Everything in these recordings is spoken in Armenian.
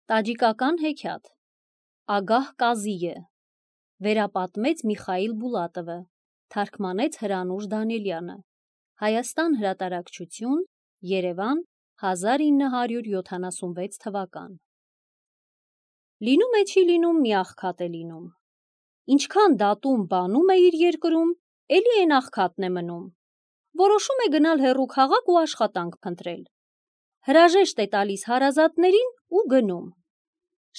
Տաջիկական հեքիաթ Ագահ Կազիե Վերապատմեց Միխայիլ Բուլատովը, թարգմանեց Հրանուշ Դանիելյանը, Հայաստան հրատարակչություն, Երևան, 1976 թվական։ Լինում է չի լինում, մի աղքատ է լինում։ Ինչքան դատում բանում է իր երկրում, էլի են աղքատն է մնում։ Որոշում է գնալ հեռու քաղաք ու աշխատանք փնտրել։ Հրաժեշտ է տալիս հարազատներին ու գնում։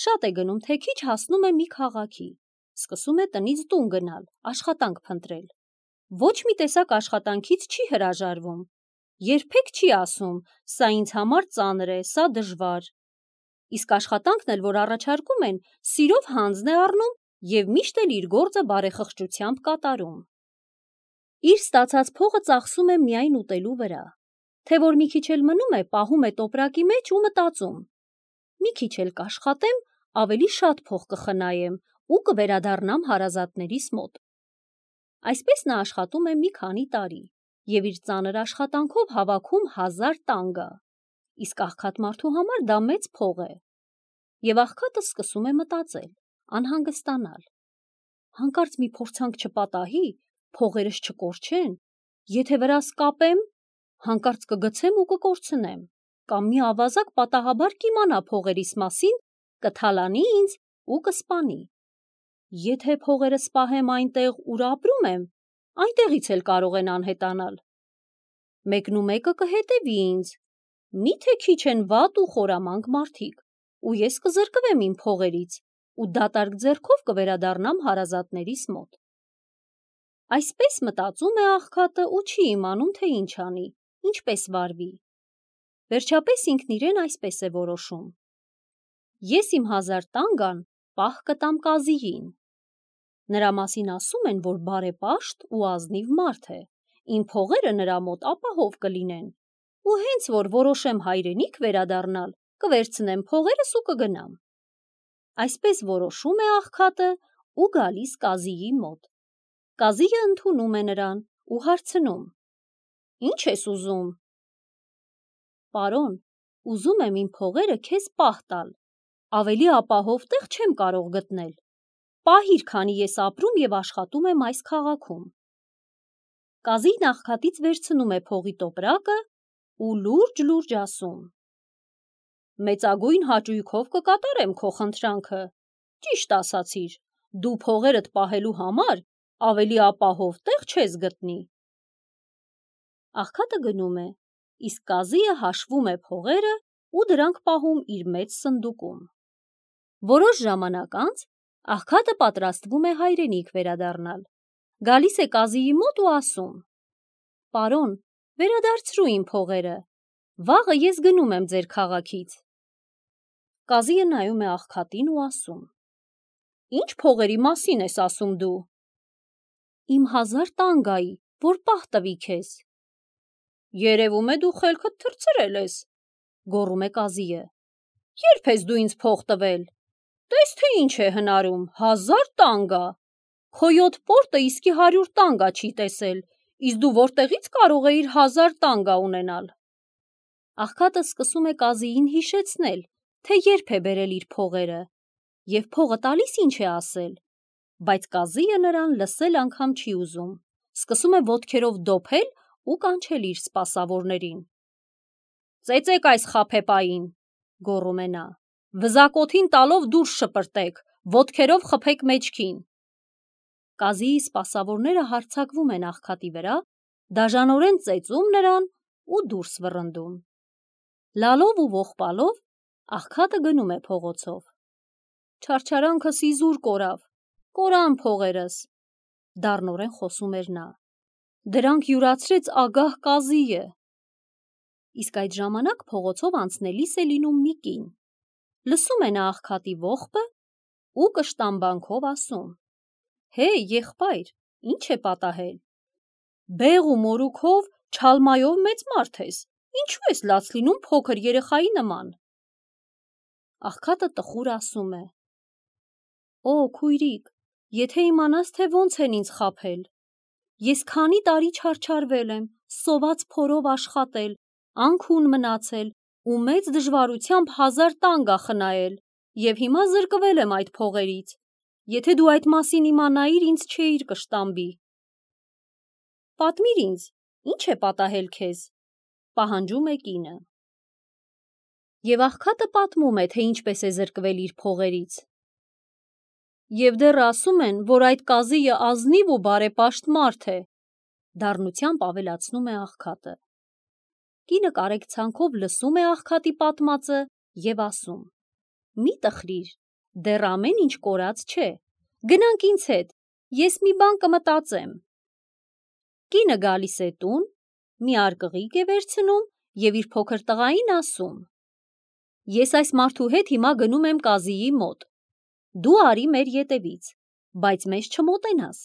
Շատ է գնում, թե քիչ հասնում է մի քաղաքի, սկսում է տնից տուն գնալ, աշխատանք փնտրել։ Ոչ մի տեսակ աշխատանքից չի հրաժարվում, երբեք չի ասում, սա ինձ համար ծանր է, սա դժվար։ Իսկ աշխատանքն էլ, որ առաջարկում են, սիրով հանձն է առնում և միշտ էլ իր գործը բարեխղճությամբ կատարում։ Իր ստացած փողը ծախսում է միայն ուտելու վրա, թե որ մի քիչ էլ մնում է, պահում է տոպրակի մեջ ու մտածում. մի քիչ էլ կաշխատեմ, ավելի շատ փող կխնայեմ ու կվերադառնամ հարազատներիս մոտ։ Այսպես նա աշխատում է մի քանի տարի և իր ծանր աշխատանքով հավաքում 1000 տանգա, իսկ աղքատ մարդու համար դա մեծ փող է։ Եվ աղքատը սկսում է մտածել, անհանգստանալ. հանկարծ մի փորձանք չպատահի, փողերս չկորչեն, եթե վրաս կապեմ, հանկարծ կգցեմ ու կկորցնեմ, կամ մի ավազակ պատահաբար կիմանա փողերիս մասին, կթալանի ինձ ու կսպանի։ Եթե փողերս պահեմ այնտեղ, ուր ապրում եմ, այնտեղից էլ կարող են անհետանալ։ Մեկնումեկը կհետևի ինձ, միթե քիչ են վատ ու խորամանկ մարդիկ, ու ես կզրկվեմ իմ փողերից ու դատարկ ձեռքով կվերադառնամ հարազատներիս մոտ։ Այսպես մտածում է աղքատը ու չի իմանում, թե ինչ անի, ինչպես վարվի։ Վերջապես ինքն իրեն այսպես է որոշում. ես իմ 1000 տանգան պահ կտամ Կազիին։ Նրա մասին ասում են, որ բարեպաշտ ու ազնիվ մարդ է, իմ փողերը նրա մոտ ապահով կլինեն, ու հենց որ որոշեմ հայրենիք վերադառնալ, կվերցնեմ փողերս ու կգնամ։ Այսպես որոշում է աղքատը ու գալիս Կազիի մոտ։ Կազիը ընդունում է նրան ու հարցնում. Ինչ ես ուզում։ Պարոն, ուզում եմ իմ փողերը քեզ պահ տալ, ավելի ապահով տեղ չեմ կարող գտնել։ Պահիր, քանի ես ապրում և աշխատում եմ այս քաղաքում։ Կազին աղքատից վերցնում է փողի տոպրակը ու լուրջ ասում. մեծագույն հաճույքով կկատարեմ քո խնդրանքը, ճիշտ ասացիր, դու փողերդ պահելու համար ավելի ապահով տեղ չես գտնի։ Աղքատը գնում է, իսկ Կազիը հաշվում է փողերը ու դրանք պահում իր մեծ սնդուկում։ Որոշ ժամանակ անց աղքատը պատրաստվում է հայրենիք վերադառնալ։ Գալիս է Կազիի մոտ ու ասում. Պարոն, վերադարձրու իմ փողերը, վաղը ես գնում եմ ձեր քաղաքից։ Կազիը նայում է աղքատին ու ասում. Ինչ փողերի մասին ես ասում դու։ Իմ 1000 տանգայի, որ պահ տվի քեզ։ Երևում է դու խելքդ թռցրել ես, գոռում է Կազիը։ Երբ ես դու ինձ փող տվել։ Տես թե ինչ է հնարում, 1000 տանգա։ Քո 7 պորտը իսկի 100 տանգա չի տեսել, իսկ դու որտեղից կարող էիր 1000 տանգա ունենալ։ Աղքատը սկսում է Կազիին հիշեցնել, թե երբ է բերել իր փողերը, և փողը տալիս ինչ է ասել, բայց Կազիը նրան լսել անգամ չի ուզում, սկսում է ոտքերով դոփել ու կանչել իր սպասավորներին։ Ծեծեք այս խաբեբային, գոռում է նա, վզակոթին տալով դուրս շպրտեք, ոտքերով խփեք մեջքին։ Կազիի սպասավորները հարձակվում են աղքատի վրա, դաժանորեն ծեծում նրան ու դուրս վռնդում։ Լալով ու ողբալով աղքատը գնում է փողոցով։ Չարչարանքս իզուր կորան փողերս, դառնորեն խոսում էր նա։ Դրանք յուրացրեց ագահ Կազիը։ Իսկ այդ ժամանակ փողոցով անցնելիս է լինում մի կին։ Լսում է նա աղքատի ողբը ու կշտամբանքով ասում. Հեյ, եղբայր, ինչ է պատահել։ Բեղ ու մորուքով, չալմայով մեծ մարդ ես, ինչու ես լաց լինում փոքր երեխայի նման։ Աղքատը տխուր ասում է. Օ, քույրիկ, եթե իմանաս, թե ոնց են ինձ խաբել։ Ես քանի տարի չարչարվել եմ, սոված փորով աշխատել, անքուն մնացել ու մեծ դժվարությամբ 1000 տանգա խնայել, և հիմա զրկվել եմ այդ փողերից, եթե դու այդ մասին իմանայիր, ինձ չէիր կշտամբի։ Պատմիր ինձ, ինչ է պատահել քեզ, պահանջում է կինը։ Եվ աղքատը պատմում է, թե ինչպես է զրկվել իր փողերից։ Եվ դեռ ասում են, որ այդ Կազիը ազնիվ ու բարեպաշտ մարդ է, դառնությամբ ավելացնում է աղքատը։ Կինը կարեկցանքով լսում է աղքատի պատմածը և ասում. մի տխրիր, դեռ ամեն ինչ կորած չէ, գնանք ինձ հետ, ես մի բան կմտածեմ։ Կինը գալիս է տուն, մի արկղիկ է վերցնում և իր փոքր տղային ասում. ես այս մարդու հետ հիմա գնում եմ Կազիի մոտ, դու արի մեր ետևից, բայց մեզ չմոտենաս,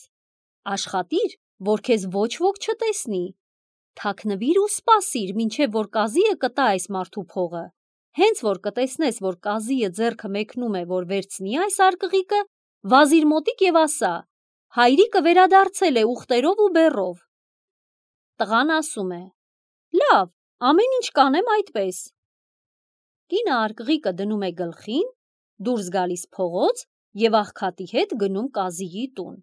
աշխատիր, որ քեզ ոչ ոք չտեսնի, թաքնվիր ու սպասիր, մինչև որ Կազիը կտա այս մարդու փողը, հենց որ կտեսնես, որ Կազիը ձեռքը մեկնում է, որ վերցնի այս արկղիկը, վազիր մոտիկ և ասա. հայրիկը վերադարձել է ուղտերով ու բեռով։ Տղան ասում է. լավ, ամեն ինչ կանեմ այդպես։ Կինը արկղիկը դնում է գլխին, դուրս գալիս փողոց և աղքատի հետ գնում Կազիի տուն,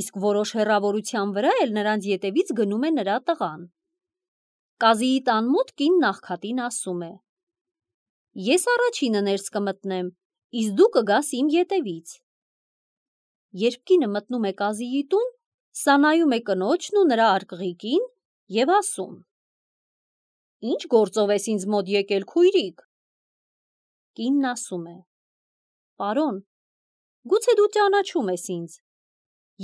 իսկ որոշ հեռավորության վրա էլ նրանց ետևից գնում է նրա տղան։ Կազիի տան մոտ կինն աղքատին ասում է. ես առաջինը ներս կմտնեմ, իսկ դու կգաս իմ ետևից։ Երբ կինը մտնում է Կազիի տուն, սա նայում է կնոջն ու նրա արկղիկին և ասում. ինչ գործով ես ինձ մոտ եկել, քույրիկ։ Կինն ասում է. պարոն, գուցե դու ճանաչում ես ինձ,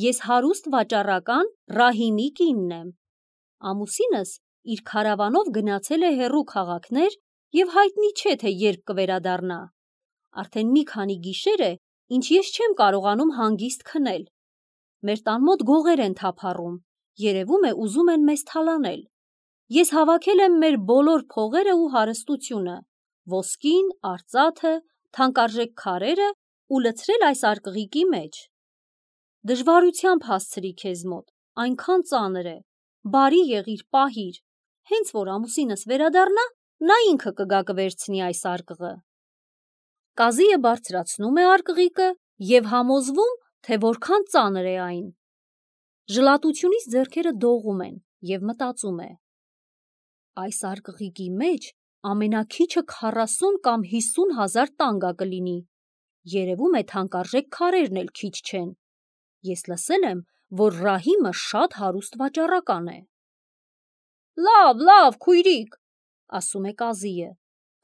ես հարուստ վաճառական Ռահիմի կինն եմ, ամուսինս իր քարավանով գնացել է հեռու քաղաքներ և հայտնի չէ, թե երբ կվերադառնա, արդեն մի քանի գիշեր է, ինչ ես չեմ կարողանում հանգիստ քնել, մեր տան մոտ գողեր են թափառում, երևում է ուզում են մեզ թալանել, ես հավաքել եմ մեր բոլոր փողերը ու հարստությունը, ոսկին, արծաթը, թանկարժեք քարերը ու լցրել այս արկղիկի մեջ։ Դժվարությամբ հասցրի քեզ մոտ, այնքան ծանր է, բարի եղիր, պահիր, հենց որ ամուսինս վերադառնա, նա ինքը կգա կվերցնի այս արկղը։ Կազիը բարձրացնում է արկղիկը և համոզվում, թե որքան ծանր է այն։ Ժլատությունից ձեռքերը դողում են և մտածում է. այս արկղիկի մեջ ամենաքիչը 40 կամ 50 հազար տանգա կլինի, երևում է թանկարժեք քարերն էլ քիչ չեն, ես լսել եմ, որ Ռահիմը շատ հարուստ վաճառական է։ Լավ, քույրիկ, ասում է Կազիը,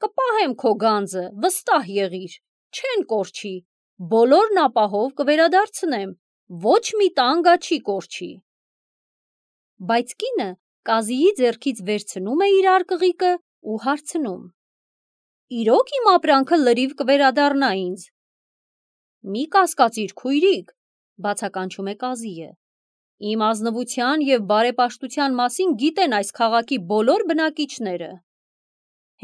կպահեմ քո գանձը, վստահ եղիր, չեն կորչի, բոլորն ապահով կվերադարձնեմ, ոչ մի տանգա չի կորչի։ Բայց կինը Կազիի ձեռքից վերցնում է իր արկղիկը ու հարցնում. իրոք իմ ապրանքը լրիվ կվերադառնա ինձ։ Մի կասկածիր, քույրիկ, բացականչում է Կազիը, իմ ազնվության և բարեպաշտության մասին գիտեն այս քաղաքի բոլոր բնակիչները։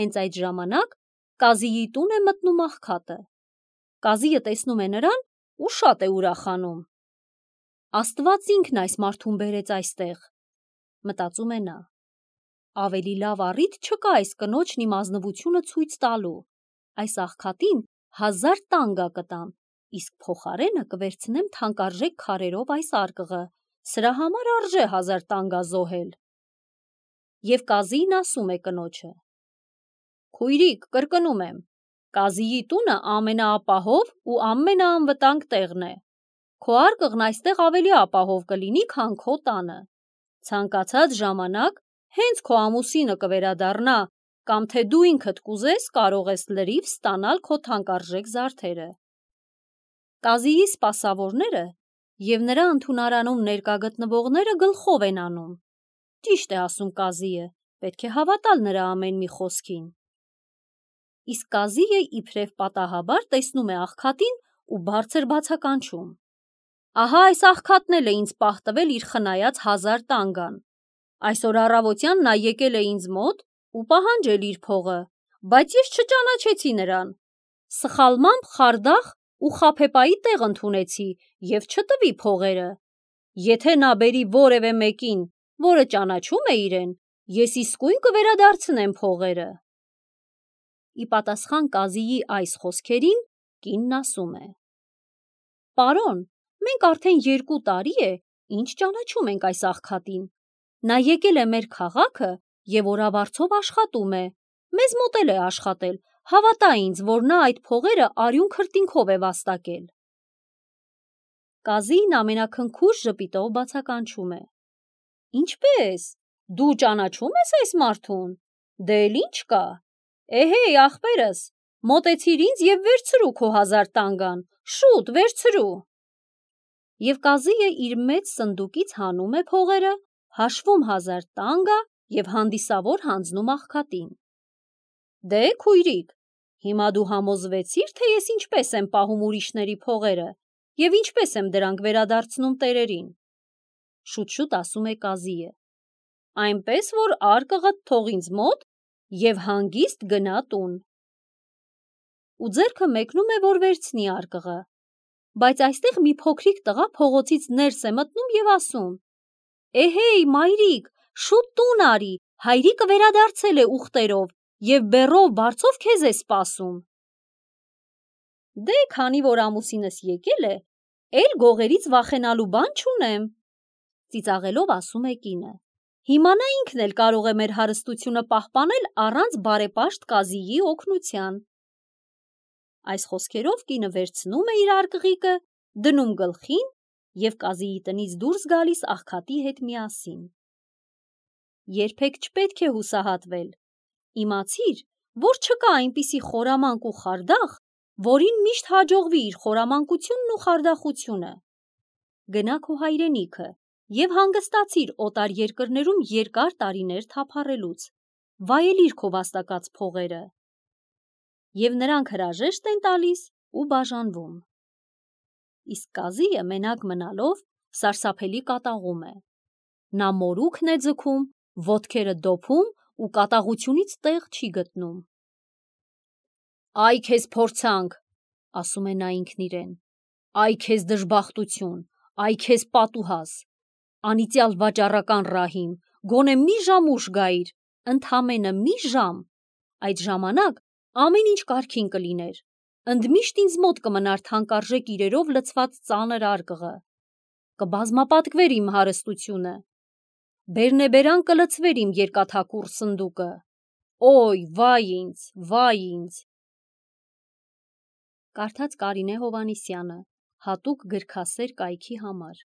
Հենց այդ ժամանակ Կազիի տուն է մտնում աղքատը։ Կազիը տեսնում է նրան ու շատ է ուրախանում։ Աստված ինքն այս մարդուն բերեց այստեղ, մտածում է նա։ Ավելի լավ առիթ չկա այս կնոջն իմ ազնվությունը ցույց տալու, այս աղքատին 1000 տանգա կտամ, իսկ փոխարենը կվերցնեմ թանկարժեք քարերով այս արկղը, սրա համար արժե 1000 տանգա զոհել։ Եվ Կազին ասում է կնոջը. քույրիկ, կրկնում եմ, Կազիի տունը ամենաապահով ու ամենաանվտանգ տեղն է, քո արկղն այստեղ ավելի ապահով կլինի, քան քո տանը, ցանկացած ժամանակ, հենց քո ամուսինը կվերադառնա, կամ թե դու ինքդ կուզես, կարող ես լրիվ ստանալ քո թանկարժեք զարդերը։ Կազիի սպասավորները և նրա ընդունարանում ներկա գտնվողները գլխով են անում։ Ճիշտ է ասում Կազիը, պետք է հավատալ նրա ամեն մի խոսքին։ Իսկ Կազիը իբրև պատահաբար տեսնում է աղքատին ու բարձր բացականչում. ահա այս աղքատն էլ է ինձ պահ տվել իր խնայած 1000 տանգան, այսօր առավոտյան նա եկել է ինձ մոտ ու պահանջել իր փողը, բայց ես չճանաչեցի նրան, սխալմամբ խարդախ ու խաբեբայի տեղ ընդունեցի և չտվի փողերը, եթե նա բերի որևէ մեկին, որը ճանաչում է իրեն, ես իսկույն կվերադարձնեմ փողերը։ Ի պատասխան Կազիի այս խոսքերին, Կինն ասում է. «Պարոն, մենք արդեն 2 տարի է, ինչ ճանաչում ենք այս աղքատին։ Նա եկել է մեր քաղաքը և օրավարձով աշխատում է, մեզ մոտ էլ է աշխատել, հավատա ինձ, որ նա այդ փողերը արյուն քրտինքով է վաստակել»։ Կազին ամենաքնքուշ ժպիտով բացականչում է. «Ինչպե՞ս, դու ճանաչում ես այս մարդուն, դե էլ ինչ կա, էհեյ ախպերս, մոտեցիր ինձ և վերցրու քո 1000 տանգան, շուտ վերցրու»։ Եվ Կազիը իր մեծ սնդուկից հանում է փողերը, հաշվում 1000 տանգա և հանդիսավոր հանձնում աղքատին։ «Դե քույրիկ, հիմա դու համոզվեցի՞ր, թե ես ինչպես եմ պահում ուրիշների փողերը և ինչպես եմ դրանք վերադարձնում տերերին»։ Շուտ-շուտ ասում է Կազիը. «Այնպես որ արկղդ թող ինձ մոտ և հանգիստ գնա տուն»։ Ու ձեռքը մեկնում է, որ վերցնի արկղը, բայց այստեղ մի փոքրիկ տղա փողոցից ներս է մտնում և ասում. «Էհեյ մայրիկ, շուտ տուն արի, հայրիկը վերադարձել է ուղտերով և բեռով բարձով քեզ է սպասում»։ «Դե քանի որ ամուսինս եկել է, էլ գողերից վախենալու բան չունեմ», ծիծաղելով ասում է կինը։ «Հիմա նա ինքն էլ կարող է մեր հարստությունը պահպանել առանց բարեպաշտ Կազիի օգնության»։ Այս խոսքերով կինը վերցնում է իր արկղիկը, դնում գլխին և Կազիի տնից դուրս գալիս աղքատի հետ միասին։ Երբեք չպետք է հուսահատվել։ Իմացիր, որ չկա այնպիսի խորամանկ ու խարդախ, որին միշտ հաջողվի իր խորամանկությունն ու խարդախությունը։ Գնա քո հայրենիքը և հանգստացիր օտար երկրներում երկար տարիներ թափառելուց, վայելիր քո վաստակած փողերը։ Եվ նրանք հրաժեշտ են տալիս ու բաժանվում։ Իսկ Կազիը մենակ մնալով սարսափելի կատաղում է։ Նա մորուքն է ձգում, ոտքերը դոփում ու կատաղությունից տեղ չի գտնում։ «Այ քեզ փորձանք», ասում է նա ինքն իրեն, «այ քեզ դժբախտություն, այ քեզ պատուհաս, անիծյալ վաճառական Ռահիմ, գոնե մի ժամ ուշ գայիր, ընդամենը մի ժամ, այդ ժամանակ ամեն ինչ կարգին կլիներ, ընդմիշտ ինձ մոտ կմնար թանկարժեք իրերով լցված ծանր արկղը, կբազմապատկվեր իմ հարստությունը, բերնեբերան կլցվեր իմ երկաթակուռ սնդուկը, օյ, վայ ինձ, վայ ինձ»։ Կարդաց Կարինե Հովհաննիսյանը, հատուկ գրքասեր կայքի համար։